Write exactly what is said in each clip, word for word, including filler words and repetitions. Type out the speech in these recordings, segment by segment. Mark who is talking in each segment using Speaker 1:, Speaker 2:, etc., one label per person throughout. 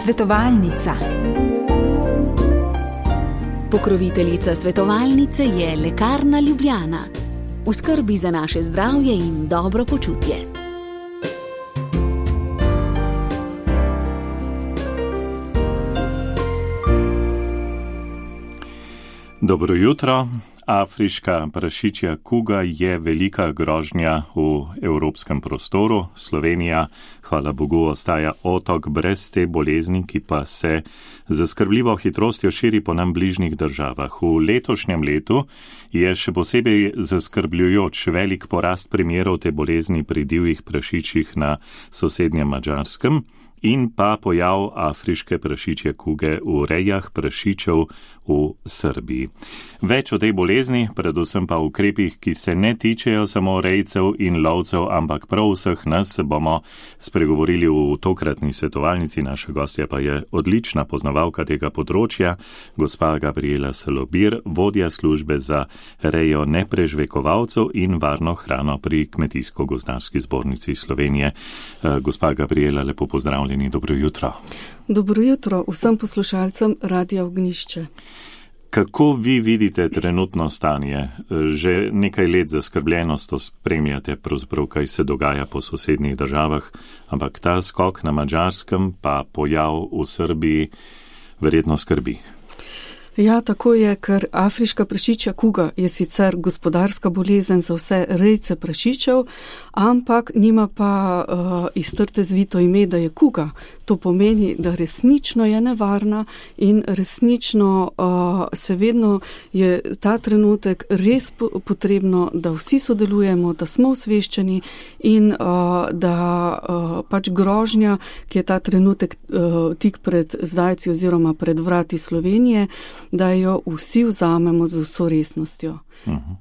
Speaker 1: Svetovalnica.
Speaker 2: Pokroviteljica svetovalnice je Lekarna Ljubljana. V skrbi za naše zdravje in dobro počutje.
Speaker 3: Dobro jutro. Afriška prašičja kuga je velika grožnja v evropskem prostoru. Slovenija, hvala Bogu, ostaja otok brez te bolezni, ki pa se z skrbljivo hitrostjo širi po nam bližnjih državah. V letošnjem letu je še posebej zaskrbljujoč velik porast primerov te bolezni pri divjih prašičjih na sosednjem Madžarskem in pa pojav afriške prašičje kuge v rejah prašičev v Srbiji. Več o tej bolezni, predvsem pa ukrepih, ki se ne tičejo samo rejcev in lovcev, ampak prav vseh nas, bomo spregovorili v tokratni svetovalnici. Naša gostja pa je odlična poznavalka tega področja, gospa Gabriela Salobir, vodja službe za rejo neprežvekovalcev in varno hrano pri Kmetijsko-gozdarski zbornici Slovenije. Gospa Gabriela, lepo pozdravljeni, dobro jutro.
Speaker 4: Dobro jutro vsem poslušalcem Radia Ognjišče.
Speaker 3: Kako vi vidite trenutno stanje? Že nekaj let zaskrbljenost spremljate, pravzaprav kaj se dogaja po sosednjih državah, ampak ta skok na Madžarskem pa pojav v Srbiji verjetno skrbi.
Speaker 4: Ja, tako je, ker afriška prašičja kuga je sicer gospodarska bolezen za vse rejce prašičev, ampak nima pa uh, iztrte zvito ime, da je kuga. To pomeni, da resnično je nevarna in resnično uh, se vedno je ta trenutek res potrebno, da vsi sodelujemo, da smo osveščeni in uh, da uh, pač grožnja, ki je ta trenutek uh, tik pred zdajci oziroma pred vrati Slovenije, da jo vsi vzamemo z vso resnostjo.
Speaker 3: Uh-huh.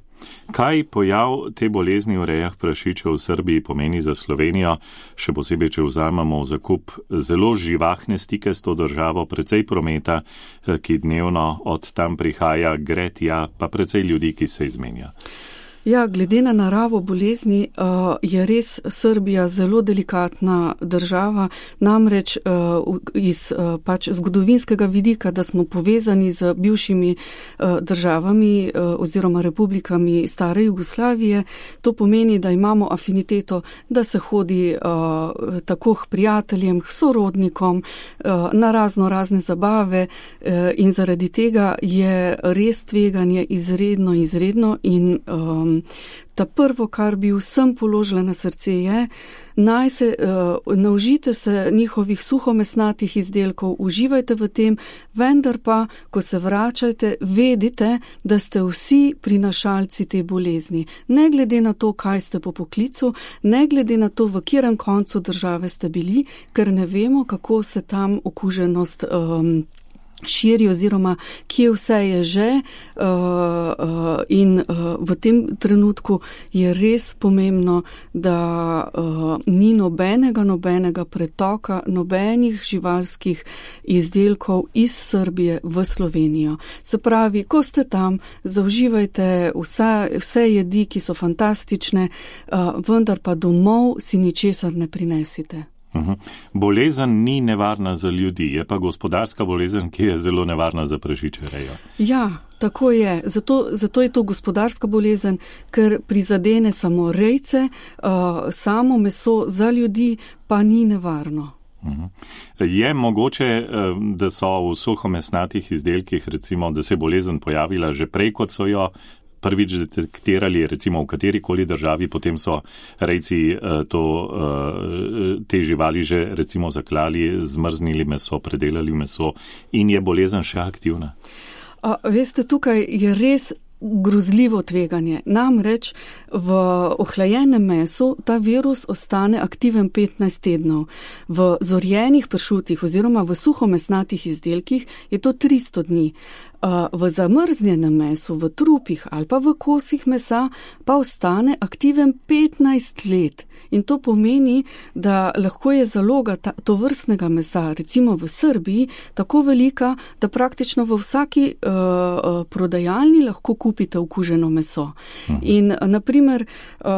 Speaker 3: Kaj pojav te bolezni v rejah prašičev v Srbiji pomeni za Slovenijo, še posebej, če vzamemo v zakup zelo živahne stike s to državo, precej prometa, ki dnevno od tam prihaja, gre tja, pa precej ljudi, ki se izmenja?
Speaker 4: Ja, glede na naravo bolezni uh, je res Srbija zelo delikatna država, namreč uh, iz uh, pač zgodovinskega vidika, da smo povezani z bivšimi uh, državami uh, oziroma republikami stare Jugoslavije. To pomeni, da imamo afiniteto, da se hodi uh, tako k prijateljem, k sorodnikom, uh, na razno razne zabave uh, in zaradi tega je res tveganje izredno, izredno in um, ta prvo, kar bi vsem položila na srce je, naj se, uh, naužite se njihovih suhomesnatih izdelkov, uživajte v tem, vendar pa, ko se vračajte, vedite, da ste vsi prinašalci te bolezni. Ne glede na to, kaj ste po poklicu, ne glede na to, v katerem koncu države ste bili, ker ne vemo, kako se tam okuženost um, širi oziroma kje vse je že uh, uh, in uh, v tem trenutku je res pomembno, da uh, ni nobenega, nobenega pretoka, nobenih živalskih izdelkov iz Srbije v Slovenijo. Se pravi, ko ste tam, zauživajte vse, vse jedi, ki so fantastične, uh, vendar pa domov si ničesar ne prinesite.
Speaker 3: Uhum. Bolezen ni nevarna za ljudi, je pa gospodarska bolezen, ki je zelo nevarna za prašičje rejo.
Speaker 4: Ja, tako je. Zato, zato je to gospodarska bolezen, ker prizadene samo rejce, uh, samo meso za ljudi pa ni nevarno.
Speaker 3: Uhum. Je mogoče, da so v suhomesnatih izdelkih, recimo, da se je bolezen pojavila že prej, kot so jo prvič detektirali, recimo v katerikoli državi, potem so rejci to, te živali že recimo zaklali, zmrznili meso, predelali meso in je bolezen še aktivna?
Speaker 4: A, veste, tukaj je res grozljivo tveganje. Namreč v ohlajenem mesu ta virus ostane aktiven petnajst tednov. V zorjenih pršutih oziroma v suhomesnatih izdelkih je to tristo dni. V zamrznjenem mesu, v trupih ali pa v kosih mesa pa ostane aktiven petnajst let. In to pomeni, da lahko je zaloga ta, to vrstnega mesa, recimo v Srbiji, tako velika, da praktično v vsaki uh, prodajalni lahko kupite okuženo meso. Mhm. In naprimer, uh,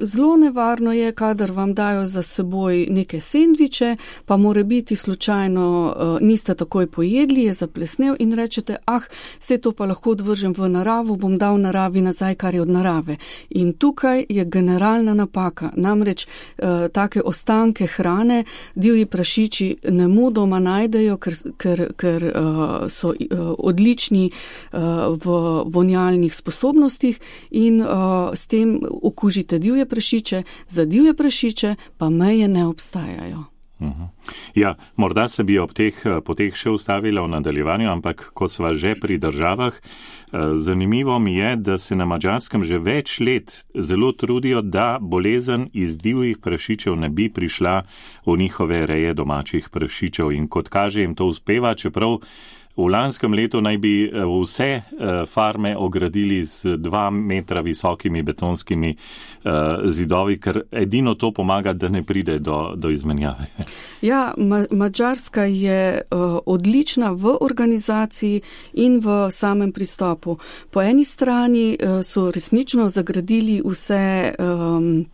Speaker 4: zelo nevarno je, kadar vam dajo za seboj neke sendviče, pa more biti slučajno uh, niste takoj pojedli, je zaplesnel in rečete, ah, vse to pa lahko odvržem v naravo, bom dal naravi nazaj, kar je od narave. In tukaj je generalna napaka. Namreč uh, take ostanke hrane divji prašiči nemudoma najdejo, ker, ker, ker uh, so uh, odlični uh, v vonjalnih sposobnostih in uh, s tem okužite divje prašiče. Za divje prašiče pa meje ne obstajajo.
Speaker 3: Ja, morda se bi ob teh poteh še ustavila v nadaljevanju, ampak ko sva že pri državah, zanimivo mi je, da se na Madžarskem že več let zelo trudijo, da bolezen iz divjih prašičev ne bi prišla v njihove reje domačih prašičev. In kot kaže, jim to uspeva, čeprav v lanskem letu naj bi vse farme ogradili z dva metra visokimi betonskimi zidovi, ker edino to pomaga, da ne pride do, do izmenjave.
Speaker 4: Ja, Ma- Madžarska je uh, odlična v organizaciji in v samem pristopu. Po eni strani uh, so resnično zagradili vse um,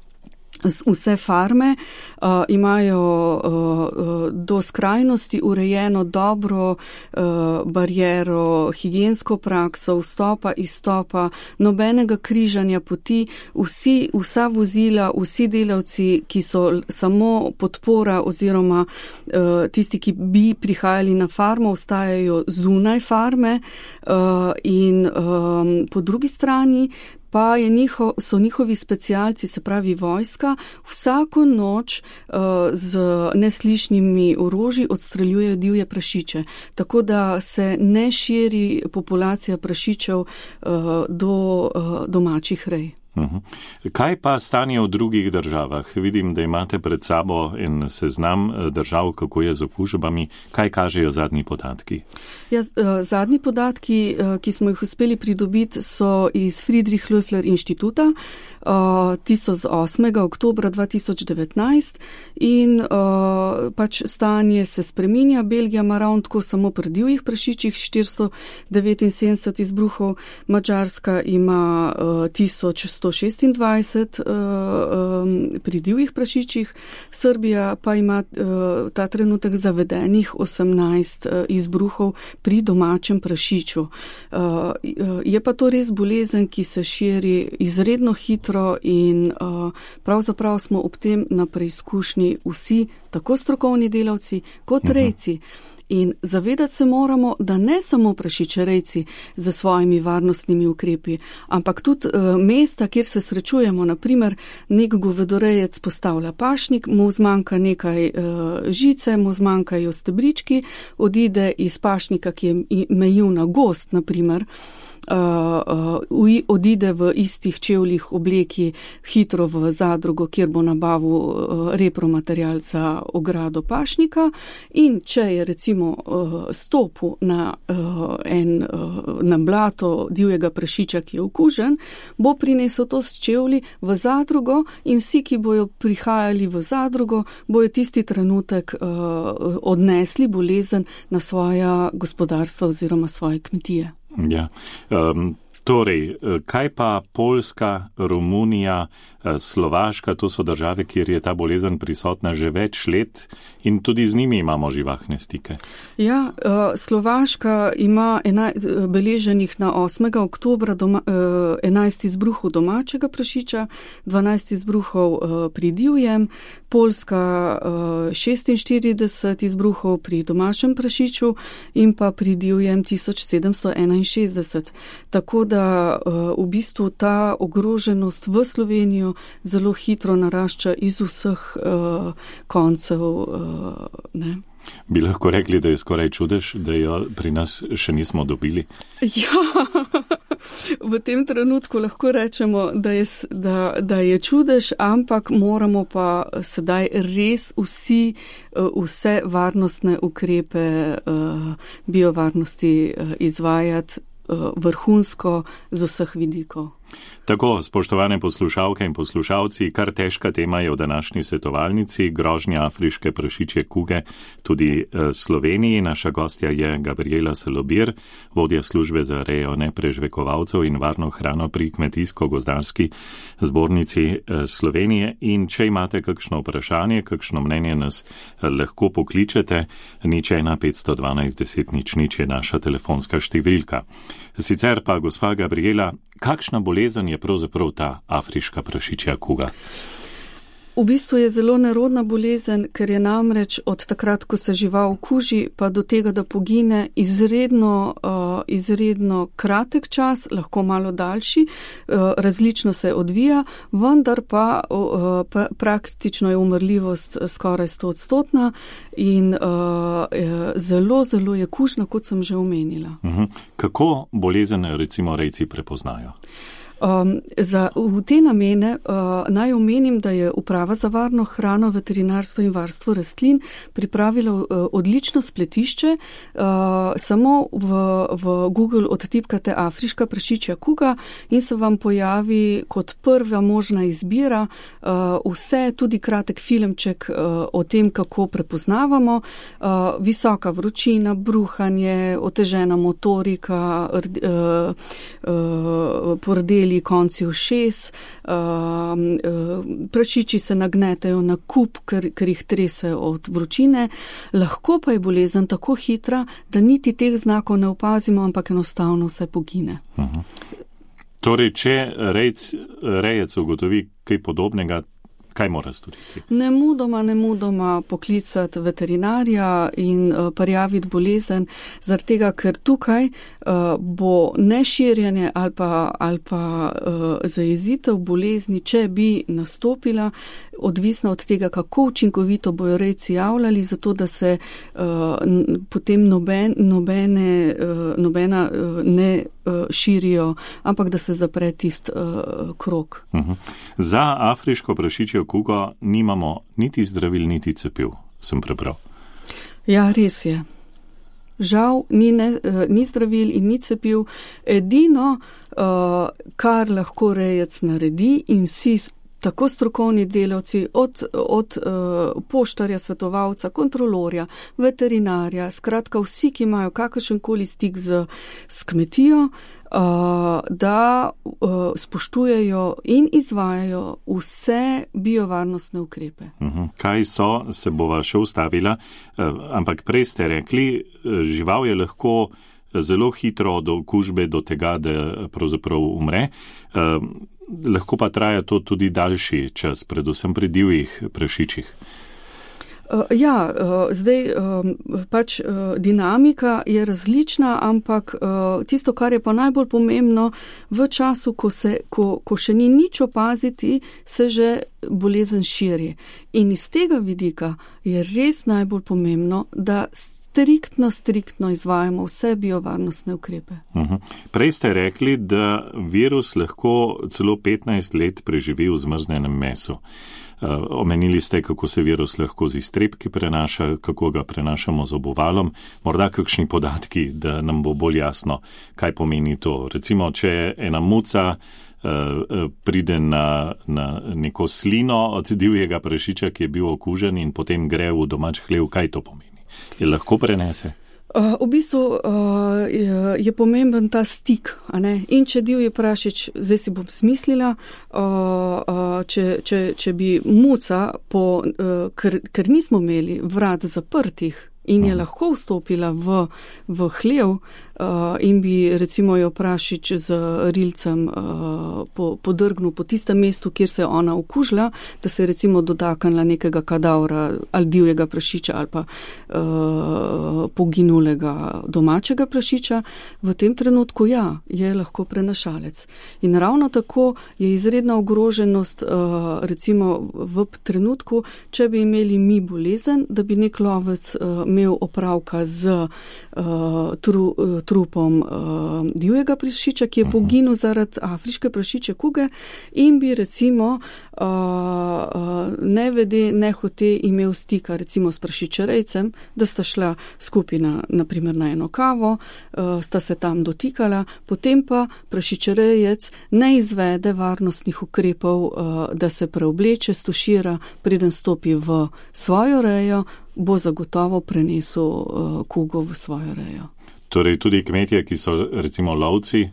Speaker 4: Vse farme uh, imajo uh, do skrajnosti urejeno dobro uh, bariero, higiensko prakso, vstopa, izstopa, nobenega križanja poti, vsi, vsa vozila, vsi delavci, ki so samo podpora oziroma uh, tisti, ki bi prihajali na farmo, ostajajo zunaj farme uh, in um, po drugi strani pa je njiho, so njihovi specialci, se pravi vojska, vsako noč uh, z neslišnimi orožji odstreljujejo divje prašiče. Tako da se ne širi populacija prašičev uh, do uh, domačih rej.
Speaker 3: Uhum. Kaj pa stanje v drugih državah? Vidim, da imate pred sabo en seznam držav, kako je z okužbami. Kaj kažejo zadnji podatki?
Speaker 4: Ja, zadnji podatki, ki smo jih uspeli pridobiti, so iz Friedrich Loeffler inštituta. Ti so z osmega oktobra dva tisoč devetnajst in pač stanje se spreminja. Belgija ima ravno tako samo pri divjih prašičih štiristo devetinsedemdeset izbruhov, Madžarska ima tisoč sto šestindvajset uh, um, pri divjih prašičih, Srbija pa ima uh, ta trenutek zavedenih osemnajst uh, izbruhov pri domačem prašiču. Uh, je pa to res bolezen, ki se širi izredno hitro in uh, pravzaprav smo ob tem na preizkušnji vsi, tako strokovni delavci kot rejci. In zavedati se moramo, da ne samo prašičerejci za svojimi varnostnimi ukrepi, ampak tudi uh, mesta, kjer se srečujemo, naprimer nek govedorejec postavlja pašnik, mu zmanjka nekaj uh, žice, mu zmanjkajo stebrički, odide iz pašnika, ki je mejil na gozd, naprimer, Uh, uh, odide v istih čevljih obleki hitro v zadrugo, kjer bo nabavil uh, repromaterial za ogrado pašnika in če je recimo uh, stopil na, uh, en, uh, na blato divjega prašiča, ki je okužen, bo prinesel to s čevlji v zadrugo in vsi, ki bojo prihajali v zadrugo, bojo tisti trenutek uh, odnesli bolezen na svoja gospodarstva oziroma svoje kmetije.
Speaker 3: Ja, um, torej, kaj pa Poljska, Romunija, Slovaška, to so države, kjer je ta bolezen prisotna že več let in tudi z njimi imamo živahne stike.
Speaker 4: Ja, Slovaška ima enaj, beleženih na osmega oktobra doma, enajst izbruhov domačega prašiča, dvanajst izbruhov pri divjem, Poljska šestinštirideset izbruhov pri domačem prašiču in pa pri divjem tisoč sedemsto enainšestdeset. Tako da v bistvu ta ogroženost v Slovenijo zelo hitro narašča iz vseh uh, koncev. Uh, ne.
Speaker 3: Bi lahko rekli, da je skoraj čudež, da jo pri nas še nismo dobili?
Speaker 4: Ja, v tem trenutku lahko rečemo, da je, da, da je čudež, ampak moramo pa sedaj res vsi, vse varnostne ukrepe biovarnosti izvajati vrhunsko z vseh vidikov.
Speaker 3: Tako, spoštovane poslušalke in poslušalci, kar težka tema je v današnji svetovalnici, grožnja afriške prašičje kuge tudi Sloveniji. Naša gostja je Gabriela Salobir, vodja službe za rejo neprežvekovalcev in varno hrano pri Kmetijsko-gozdarski zbornici Slovenije. In če imate kakšno vprašanje, kakšno mnenje, nas lahko pokličete, nič ena petsto dvanajst deset nič nič je naša telefonska številka. Sicer pa, gospa Gabriela, kakšna bolezen je pravzaprav ta afriška prašičja kuga?
Speaker 4: V bistvu je zelo nerodna bolezen, ker je namreč od takrat, ko se žival kuži, pa do tega, da pogine, izredno, uh, izredno kratek čas, lahko malo daljši, uh, različno se odvija, vendar pa, uh, pa praktično je umrljivost skoraj stoodstotna in uh, zelo, zelo je kužna, kot sem že omenila.
Speaker 3: Uh-huh. Kako bolezen recimo rejci prepoznajo?
Speaker 4: Um, za, v te namene uh, naj omenim, da je Uprava za varno hrano, veterinarstvo in varstvo rastlin pripravila uh, odlično spletišče. Uh, samo v, v Google odtipkate afriška prašičja kuga in se vam pojavi kot prva možna izbira uh, vse, tudi kratek filmček uh, o tem, kako prepoznavamo. Uh, visoka vročina, bruhanje, otežena motorika, uh, uh, pordeli konci ušes, uh, uh, prašiči se nagnetajo na kup, ker, ker jih trese od vročine. Lahko pa je bolezen tako hitra, da niti teh znakov ne opazimo, ampak enostavno vse pogine.
Speaker 3: Uh-huh. Torej, če rejc, rejec ugotovi kaj podobnega, kaj mora storiti?
Speaker 4: Nemudoma, nemudoma poklicati veterinarja in uh, prijaviti bolezen, zaradi tega, ker tukaj uh, bo neširjanje ali pa, ali pa uh, zajezitev bolezni, če bi nastopila, odvisna od tega, kako učinkovito bojo rejci javljali, zato da se uh, n, potem noben, nobene, uh, nobena uh, ne uh, širijo, ampak da se zapre tist uh, krog.
Speaker 3: Uh-huh. Za afriško prašičjo kugo nimamo niti zdravil, niti cepiv, sem prebral.
Speaker 4: Ja, res je. Žal, ni, ne, ni zdravil in ni cepiv. Edino, uh, kar lahko rejec naredi in vsi tako strokovni delavci, od, od uh, poštarja, svetovalca, kontrolorja, veterinarja, skratka vsi, ki imajo kakršenkoli stik z, z kmetijo, uh, da uh, spoštujejo in izvajajo vse biovarnostne ukrepe.
Speaker 3: Uh-huh. Kaj so, se bova še ustavila, uh, ampak prej ste rekli, uh, žival je lahko zelo hitro do okužbe, do tega, da pravzaprav umre. Uh, Lahko pa traja to tudi daljši čas, predvsem pri divjih prašičih.
Speaker 4: Uh, ja, uh, zdaj um, pač uh, dinamika je različna, ampak uh, tisto, kar je pa najbolj pomembno, v času, ko, se, ko, ko še ni nič opaziti, se že bolezen širi. In iz tega vidika je res najbolj pomembno, da striktno, striktno izvajamo vse biovarnostne ukrepe.
Speaker 3: Uh-huh. Prej ste rekli, da virus lahko celo petnajst let preživi v zmrznjenem mesu. Uh, omenili ste, kako se virus lahko z iztrebki prenaša, kako ga prenašamo z obuvalom. Morda kakšni podatki, da nam bo bolj jasno, kaj pomeni to. Recimo, če ena muca uh, pride na, na neko slino od divjega prašiča, ki je bil okužen in potem gre v domač hlev, kaj to pomeni? Je lahko prenese?
Speaker 4: Uh, v bistvu uh, je, je pomemben ta stik, a ne? In če divji prašič, zdaj si bom smislila, uh, uh, če, če, če bi muca, po, uh, ker, ker nismo imeli vrat zaprtih in je lahko vstopila v, v hlev uh, in bi recimo jo prašič z rilcem uh, po, podrgnil po tistem mestu, kjer se je ona okužila, da se je recimo dotaknila nekega kadavra ali divjega prašiča ali pa uh, poginulega domačega prašiča, v tem trenutku ja, je lahko prenašalec. In ravno tako je izredna ogroženost uh, recimo v trenutku, če bi imeli mi bolezen, da bi nek lovec uh, imel opravka z uh, tru, uh, trupom uh, divjega prašiča, ki je poginil zaradi afriške prašiče kuge in bi recimo uh, uh, ne vede, ne hote imel stika recimo s prašičerejcem, da sta šla skupaj na, naprimer na eno kavo, uh, sta se tam dotikala, potem pa prašičerejec ne izvede varnostnih ukrepov, uh, da se preobleče, stušira, preden stopi v svojo rejo, bo zagotovo prenesel uh, kugo v svojo rejo.
Speaker 3: Torej tudi kmetje, ki so recimo lovci,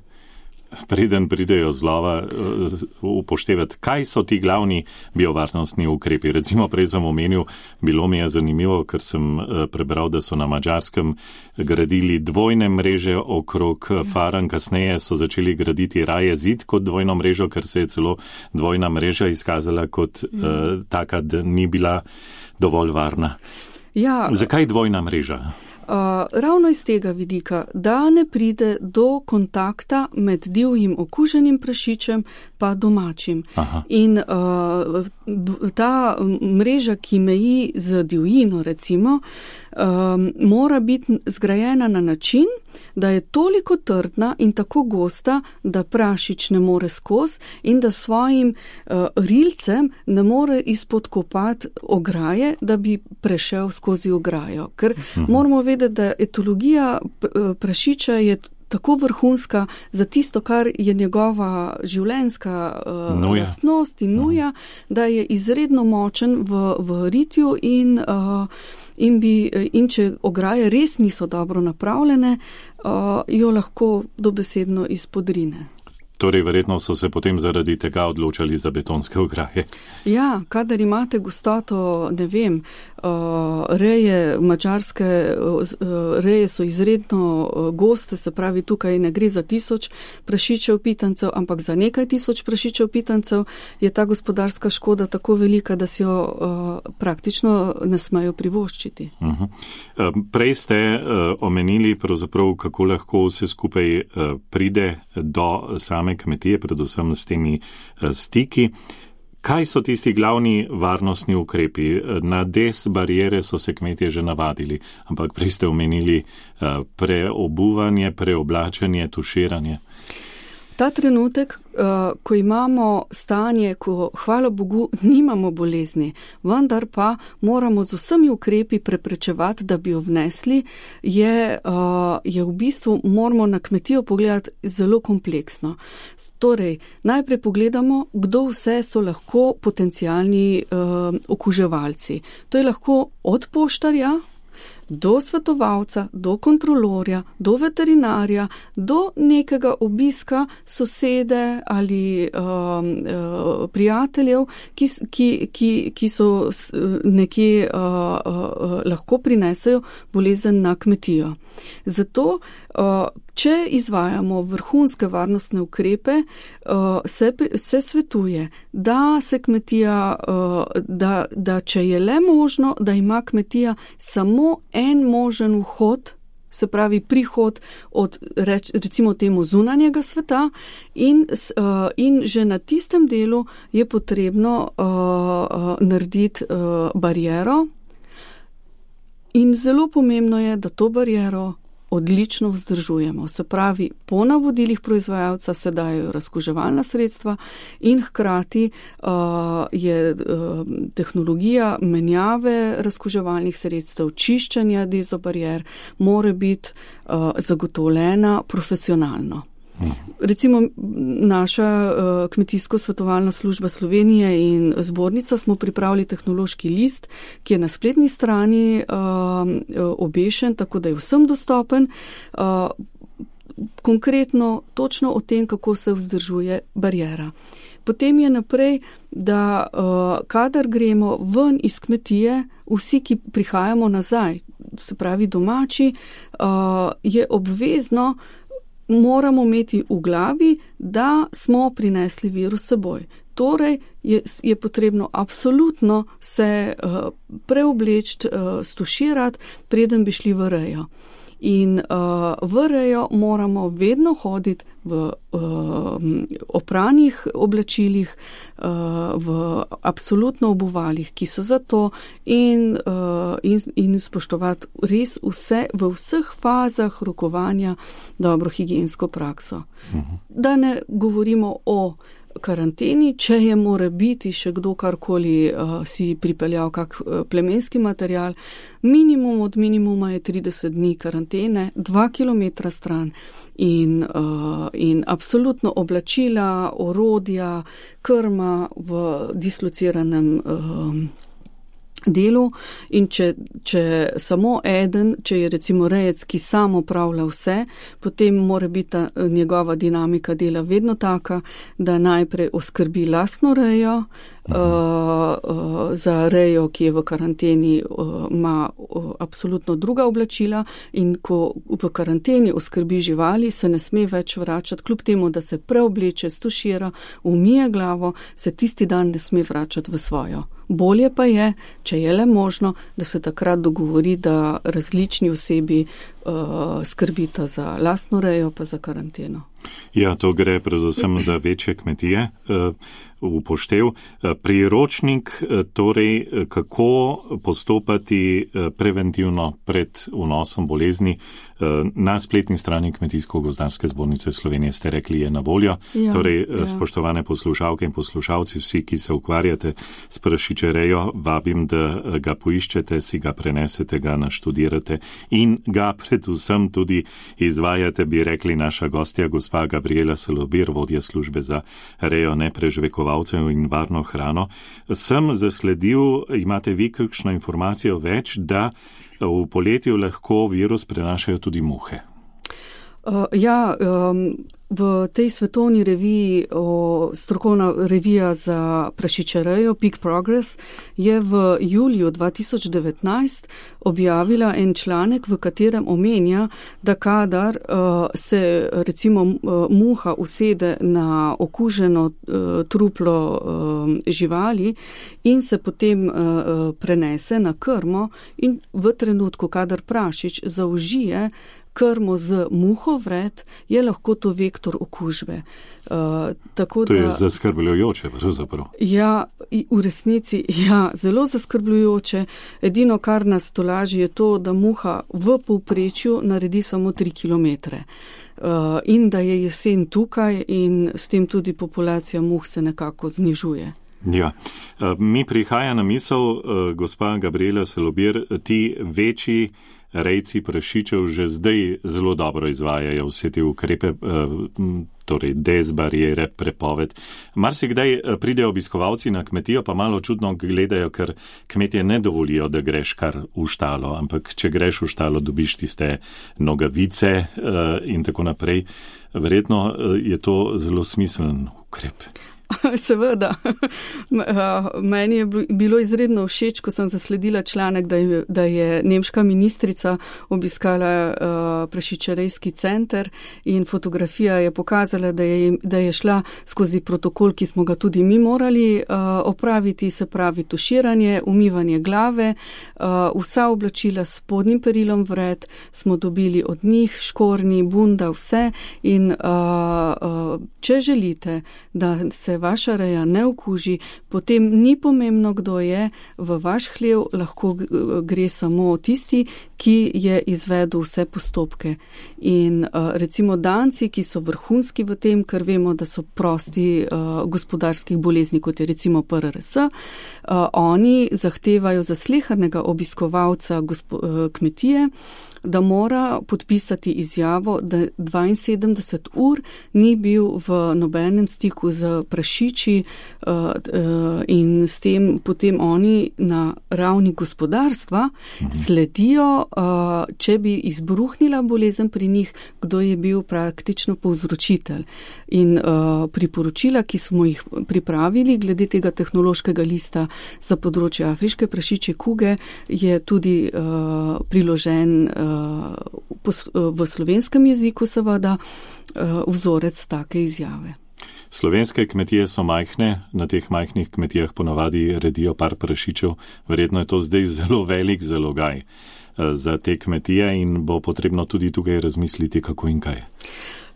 Speaker 3: preden pridejo z lova, upoštevati, kaj so ti glavni biovarnostni ukrepi. Recimo prej sem omenil, bilo mi je zanimivo, ker sem prebral, da so na Madžarskem gradili dvojne mreže okrog faran, kasneje so začeli graditi raje zid kot dvojno mrežo, ker se je celo dvojna mreža izkazala kot uh, taka, da ni bila dovolj varna.
Speaker 4: Ja.
Speaker 3: Zakaj dvojna mreža?
Speaker 4: Uh, ravno iz tega vidika, da ne pride do kontakta med divjim okuženim prašičem pa domačim. Aha. In uh, ta mreža, ki meji z divjino, recimo, um, mora biti zgrajena na način, da je toliko trdna in tako gosta, da prašič ne more skozi in da svojim uh, rilcem ne more izpodkopati ograje, da bi prešel skozi ograjo. Ker uh-huh. moramo vedeti, da etologija prašiča je tako vrhunska za tisto, kar je njegova življenjska uh, lastnost in nuja, uh-huh. da je izredno močen v, v ritju in uh, In, bi, in če ograje res niso dobro napravljene, uh, jo lahko dobesedno izpodrine.
Speaker 3: Torej, verjetno so se potem zaradi tega odločali za betonske ograje.
Speaker 4: Ja, kadar imate gostoto, ne vem, uh, reje, madžarske uh, reje so izredno uh, goste, se pravi, tukaj ne gre za tisoč prašičev pitancev, ampak za nekaj tisoč prašičev pitancev, je ta gospodarska škoda tako velika, da si jo uh, praktično ne smejo privoščiti.
Speaker 3: Uh-huh. Uh, prej ste uh, omenili pravzaprav, kako lahko vse skupaj uh, pride do same kmetije, predvsem s temi stiki. Kaj so tisti glavni varnostni ukrepi? Na des barijere so se kmetje že navadili, ampak prej ste omenili preobuvanje, preoblačenje, tuširanje.
Speaker 4: Ta trenutek, ko imamo stanje, ko, hvala Bogu, nimamo bolezni, vendar pa moramo z vsemi ukrepi preprečevati, da bi jo vnesli, je, je v bistvu, moramo na kmetijo pogledati zelo kompleksno. Torej, najprej pogledamo, kdo vse so lahko potencialni okuževalci. To je lahko od poštarja, do svetovalca, do kontrolorja, do veterinarja, do nekega obiska sosede ali um, uh, prijateljev, ki, ki, ki, ki so nekje uh, uh, lahko prinesejo bolezen na kmetijo. Zato, uh, če izvajamo vrhunske varnostne ukrepe, uh, se, se svetuje, da se kmetija, uh, da, da če je le možno, da ima kmetija samo en možen vhod, se pravi prihod od reč, recimo temu zunanjega sveta in, uh, in že na tistem delu je potrebno uh, uh, narediti uh, bariero in zelo pomembno je, da to bariero odlično vzdržujemo. Se pravi, po navodilih proizvajalca se dajo razkuževalna sredstva in hkrati uh, je uh, tehnologija menjave razkuževalnih sredstev, čiščenja dezobarier, mora biti uh, zagotovljena profesionalno. Recimo naša uh, kmetijsko-svetovalna služba Slovenije in zbornica smo pripravili tehnološki list, ki je na spletni strani uh, obešen, tako da je vsem dostopen. Uh, konkretno točno o tem, kako se vzdržuje bariera. Potem je naprej, da uh, kadar gremo ven iz kmetije, vsi, ki prihajamo nazaj, se pravi domači, uh, je obvezno, moramo imeti v glavi, da smo prinesli virus s seboj. Torej je, je potrebno absolutno se uh, preobleči, uh, stuširati, preden bi šli v rejo. In uh, v rejo moramo vedno hoditi v uh, opranih oblačilih, uh, v absolutno obuvalih, ki so za to in uh, in, in spoštovati res vse, v vseh fazah rokovanja dobro higiensko prakso. Uh-huh. Da ne govorimo o karanteni, če je more biti še kdo karkoli uh, si pripeljal kak uh, plemenski material, minimum od minimuma je trideset dni karantene, dva kilometra stran in, uh, in absolutno oblačila, orodja, krma v dislociranem uh, delu in če, če samo eden, če je recimo rejec, ki samo opravlja vse, potem mora biti ta njegova dinamika dela vedno taka, da najprej oskrbi lastno rejo, uh, uh, za rejo, ki je v karanteni, uh, ima uh, absolutno druga oblačila in ko v karanteni oskrbi živali, se ne sme več vračati, kljub temu, da se preobleče, stušira, umije glavo, se tisti dan ne sme vračati v svojo. Bolje pa je, če je le možno, da se takrat dogovori, da različni osebi uh, skrbita za lastno rejo pa za karanteno.
Speaker 3: Ja, to gre predvsem za večje kmetije. Upoštev. Priročnik, torej, kako postopati preventivno pred vnosom bolezni, na spletni strani Kmetijsko-gozdarske zbornice Slovenije ste rekli, je na voljo. Ja, torej, ja. Spoštovane poslušalke in poslušalci, vsi, ki se ukvarjate s prašičerejo, vabim, da ga poiščete, si ga prenesete, ga naštudirate in ga predvsem tudi izvajate, bi rekli naša gostja, gospa Gabriela Salobir, vodja službe za rejo nepreživekovalcev in varno hrano. Sem zasledil, imate vi kakšno informacijo več, da v poletju lahko virus prenašajo tudi muhe?
Speaker 4: Uh, ja, um, v tej svetovni reviji, o, strokovna revija za prašičerejo Peak Progress, je v juliju dva tisoč devetnajst objavila en članek, v katerem omenja, da kadar uh, se recimo uh, muha usede na okuženo uh, truplo uh, živali in se potem uh, prenese na krmo in v trenutku, kadar prašič zaužije krmo z muhovred, je lahko to vektor okužbe. Uh, tako
Speaker 3: to
Speaker 4: da,
Speaker 3: je zaskrbljujoče, pravzaprav.
Speaker 4: Ja, v resnici, ja, zelo zaskrbljujoče. Edino, kar nas tolaži, je to, da muha v povprečju naredi samo tri kilometre. Uh, in da je jesen tukaj in s tem tudi populacija muh se nekako znižuje.
Speaker 3: Ja, mi prihaja na misel, gospa Gabriela Salobir, ti večji rejci prašičev že zdaj zelo dobro izvajajo vse te ukrepe, torej dezbariere, prepoved. Marsikdaj pridejo obiskovalci na kmetijo, pa malo čudno gledajo, ker kmetje ne dovolijo, da greš kar v štalo, ampak če greš v štalo, dobiš tiste nogavice in tako naprej. Verjetno je to zelo smiseln ukrep.
Speaker 4: Seveda. Meni je bilo izredno všeč, ko sem zasledila članek, da je, da je nemška ministrica obiskala uh, prašičerejski center in fotografija je pokazala, da je, da je šla skozi protokol, ki smo ga tudi mi morali uh, opraviti, se pravi tuširanje, umivanje glave, uh, vsa oblačila s spodnjim perilom vred smo dobili od njih, škornji, bunda, vse in uh, uh, če želite, da se vaša reja ne okuži, potem ni pomembno, kdo je, v vaš hlev lahko gre samo tisti, ki je izvedel vse postopke. In uh, recimo Danci, ki so vrhunski v tem, ker vemo, da so prosti uh, gospodarskih bolezni, kot je recimo P R R S, uh, oni zahtevajo za slehernega obiskovalca gospo, uh, kmetije, da mora podpisati izjavo, da dvainsedemdeset ur ni bil v nobenem stiku z prašiči uh, uh, in s tem potem oni na ravni gospodarstva sledijo, uh, če bi izbruhnila bolezen pri njih, kdo je bil praktično povzročitelj. In uh, priporočila, ki smo jih pripravili glede tega tehnološkega lista za področje afriške prašičje kuge, je tudi uh, priložen uh, v slovenskem jeziku seveda vzorec take izjave.
Speaker 3: Slovenske kmetije so majhne, na teh majhnih kmetijah ponavadi redijo par prašičev, verjetno je to zdaj zelo velik zalogaj za te kmetije in bo potrebno tudi tukaj razmisliti, kako in kaj.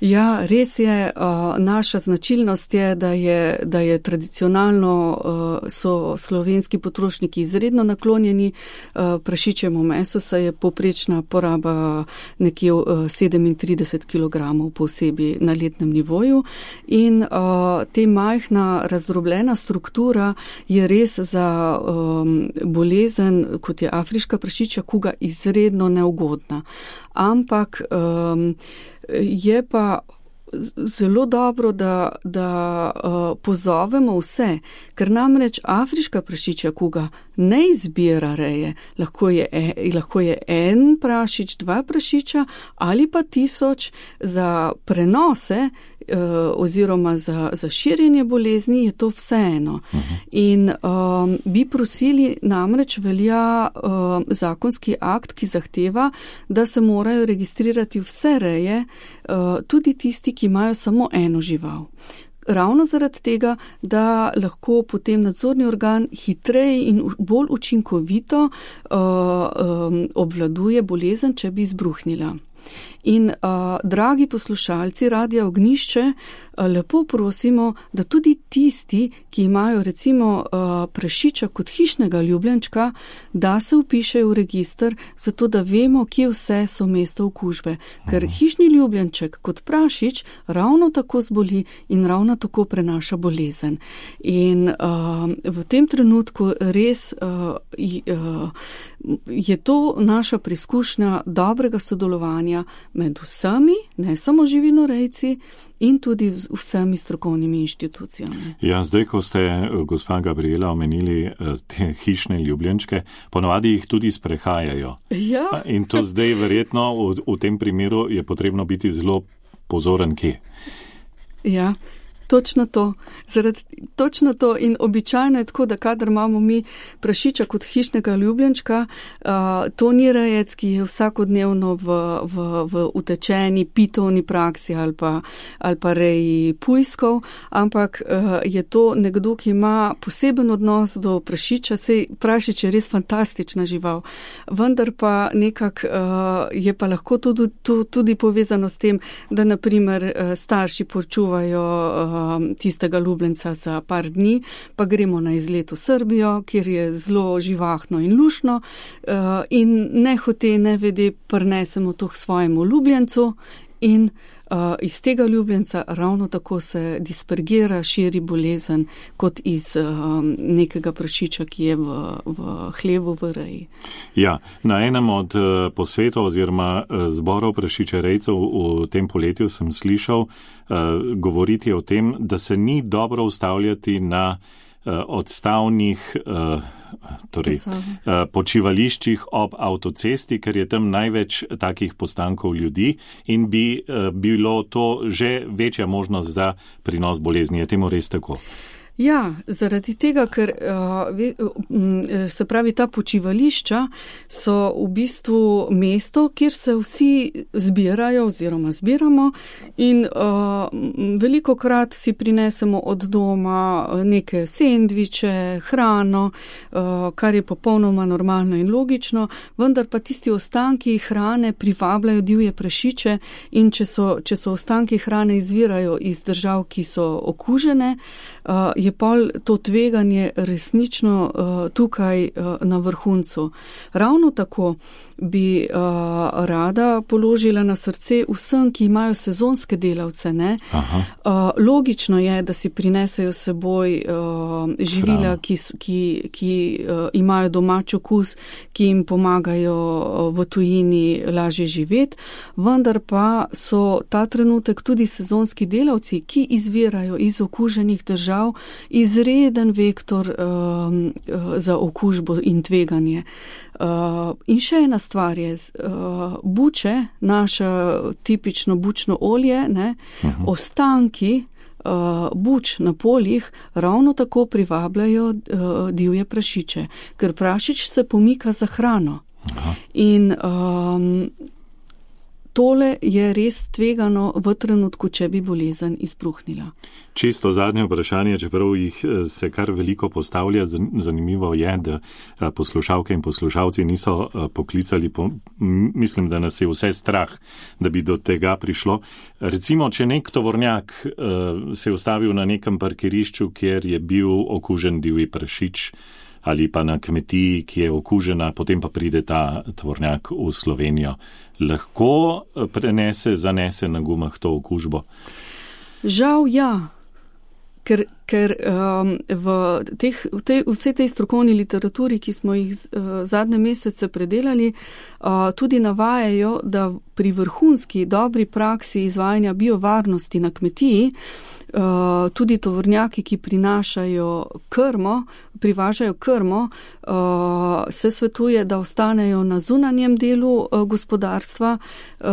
Speaker 4: Ja, res je. Uh, naša značilnost je, da je, da je tradicionalno uh, so slovenski potrošniki izredno naklonjeni uh, prašičjemu mesu, saj je povprečna poraba nekje uh, sedemintrideset kilogramov po osebi na letnem nivoju in uh, te majhna razdrobljena struktura je res za um, bolezen, kot je afriška prašičja kuga, izredno neugodna. Ampak um, je pa zelo dobro, da, da uh, pozovemo vse, ker namreč afriška prašičja kuga ne izbira reje. Lahko je, e, lahko je en prašič, dva prašiča ali pa tisoč. Za prenose uh, oziroma za, za širjenje bolezni je to vseeno. Uh-huh. In um, bi prosili, namreč velja um, zakonski akt, ki zahteva, da se morajo registrirati vse reje, uh, tudi tisti, ki imajo samo eno žival. Ravno zaradi tega, da lahko potem nadzorni organ hitreje in bolj učinkovito uh, um, obvladuje bolezen, če bi izbruhnila. In, uh, dragi poslušalci Radia Ognjišče, uh, lepo prosimo, da tudi tisti, ki imajo recimo uh, prašiča kot hišnega ljubljenčka, da se vpišejo v register, zato da vemo, kje vse so mesto okužbe. Ker hišni ljubljenček kot prašič ravno tako zboli in ravno tako prenaša bolezen. In uh, v tem trenutku res uh, uh, je to naša preizkušnja dobrega sodelovanja med vsemi, ne samo živinorejci, in tudi vsemi strokovnimi inštitucijami.
Speaker 3: Ja, zdaj, ko ste, gospa Gabriela, omenili te hišne ljubljenčke, ponovadi jih tudi sprehajajo.
Speaker 4: Ja.
Speaker 3: In to zdaj verjetno v, v tem primeru je potrebno biti zelo pozoren kje.
Speaker 4: Ja. Točno to. Zaradi, točno to in običajno je tako, da kadar imamo mi prašiča kot hišnega ljubljenčka, uh, to ni rejec, ki je vsakodnevno v, v, v utečeni pitovni praksi ali pa, ali pa reji pujskov, ampak uh, je to nekdo, ki ima poseben odnos do prašiča. Sej prašič je res fantastična žival, vendar pa nekak uh, je pa lahko tudi, tudi povezano s tem, da naprimer uh, starši počuvajo uh, tistega ljubljenca za par dni, pa gremo na izlet v Srbijo, kjer je zelo živahno in lušno in ne hote, ne vede, prinesemo to k svojemu ljubljencu in iz tega ljubljenca ravno tako se dispergira, širi bolezen kot iz nekega prašiča, ki je v, v hlevu v reji.
Speaker 3: Ja, na enem od posvetov oziroma zborov prašičerejcev v tem poletju sem slišal govoriti o tem, da se ni dobro ustavljati na odstavnih torej, počivališčih ob avtocesti, ker je tam največ takih postankov ljudi in bi bilo to že večja možnost za prinos bolezni. Je temu res tako?
Speaker 4: Ja, zaradi tega, ker se pravi, ta počivališča so v bistvu mesto, kjer se vsi zbirajo oziroma zbiramo in uh, veliko krat si prinesemo od doma neke sendviče, hrano, uh, kar je popolnoma normalno in logično, vendar pa tisti ostanki hrane privabljajo divje prašiče in če so, če so ostanki hrane izvirajo iz držav, ki so okužene, uh, je pol to tveganje resnično uh, tukaj uh, na vrhuncu. Ravno tako bi uh, rada položila na srce vsem, ki imajo sezonske delavce. Ne? Uh, logično je, da si prinesejo seboj uh, živila, ki, ki, ki uh, imajo domač okus, ki jim pomagajo uh, v tujini lažje živeti, vendar pa so ta trenutek tudi sezonski delavci, ki izvirajo iz okuženih držav, izreden vektor um, za okužbo in tveganje. Uh, in še ena stvar je, uh, buče, naše tipično bučno olje, ne, uh-huh. ostanki uh, buč na poljih ravno tako privabljajo uh, divje prašiče, ker prašič se pomika za hrano. Uh-huh. In um, tole je res tvegano v trenutku, če bi bolezen izbruhnila.
Speaker 3: Čisto zadnje vprašanje, čeprav jih se kar veliko postavlja, zanimivo je, da poslušalke in poslušalci niso poklicali, po, mislim, da nas je vse strah, da bi do tega prišlo. Recimo, če nek tovornjak se je ustavil na nekem parkirišču, kjer je bil okužen divji prašič, ali pa na kmetiji, ki je okužena, potem pa pride ta tovornjak v Slovenijo, lahko prenese, zanese na gumah to okužbo?
Speaker 4: Žal ja. Ker, ker um, v, teh, v tej, vsej tej strokovni literaturi, ki smo jih uh, zadnje mesece predelali, uh, tudi navajajo, da pri vrhunski dobri praksi izvajanja biovarnosti na kmetiji, uh, tudi tovornjaki, ki prinašajo krmo, privažajo krmo, uh, se svetuje, da ostanejo na zunanjem delu uh, gospodarstva, uh,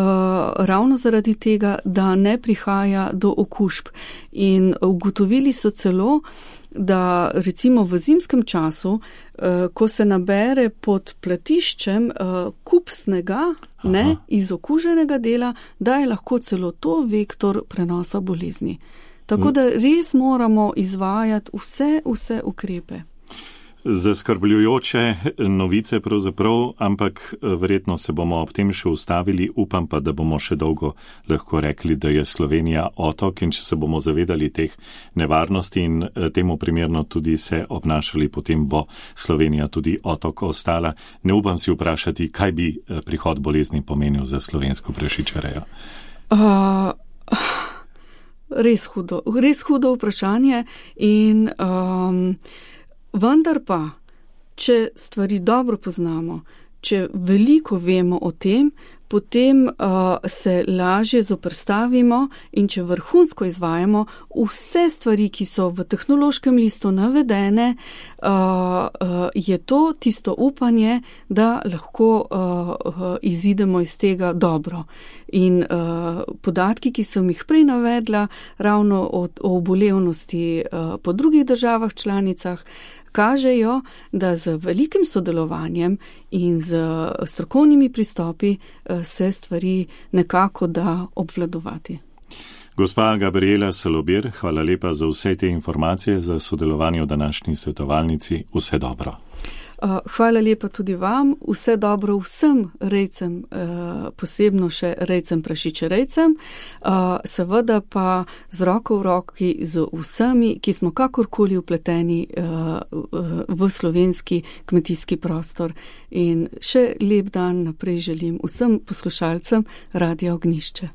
Speaker 4: ravno zaradi tega, da ne prihaja do okužb. In ugotovili so celo, da recimo v zimskem času, uh, ko se nabere pod platiščem uh, kup snega, ne, iz okuženega dela, da je lahko celo to vektor prenosa bolezni. Tako da res moramo izvajati vse, vse ukrepe.
Speaker 3: Zaskrbljujoče novice pravzaprav, ampak verjetno se bomo ob tem še ustavili. Upam pa, da bomo še dolgo lahko rekli, da je Slovenija otok, in če se bomo zavedali teh nevarnosti in temu primerno tudi se obnašali, potem bo Slovenija tudi otok ostala. Ne upam si vprašati, kaj bi prihod bolezni pomenil za slovensko prašičerejo.
Speaker 4: Uh, res hudo, res hudo vprašanje in um, vendar pa, če stvari dobro poznamo, če veliko vemo o tem, potem uh, se lažje zoperstavimo, in če vrhunsko izvajamo vse stvari, ki so v tehnološkem listu navedene, uh, uh, je to tisto upanje, da lahko uh, uh, izidemo iz tega dobro. In uh, podatki, ki sem jih prej navedla, ravno o, o obolevnosti uh, po drugih državah članicah, kažejo, da z velikim sodelovanjem in z strokovnimi pristopi se stvari nekako da obvladovati.
Speaker 3: Gospa Gabriela Salobir, hvala lepa za vse te informacije, za sodelovanje v današnji svetovalnici. Vse dobro.
Speaker 4: Hvala lepa tudi vam, vse dobro vsem rejcem, posebno še rejcem prašičerejcem, seveda pa z roko v roki z vsemi, ki smo kakorkoli vpleteni v slovenski kmetijski prostor. In še lep dan naprej želim vsem poslušalcem Radia Ognjišče.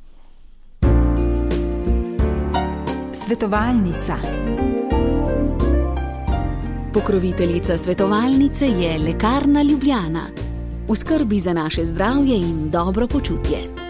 Speaker 2: Svetovalnica. Pokroviteljica svetovalnice je Lekarna Ljubljana. V skrbi za naše zdravje in dobro počutje.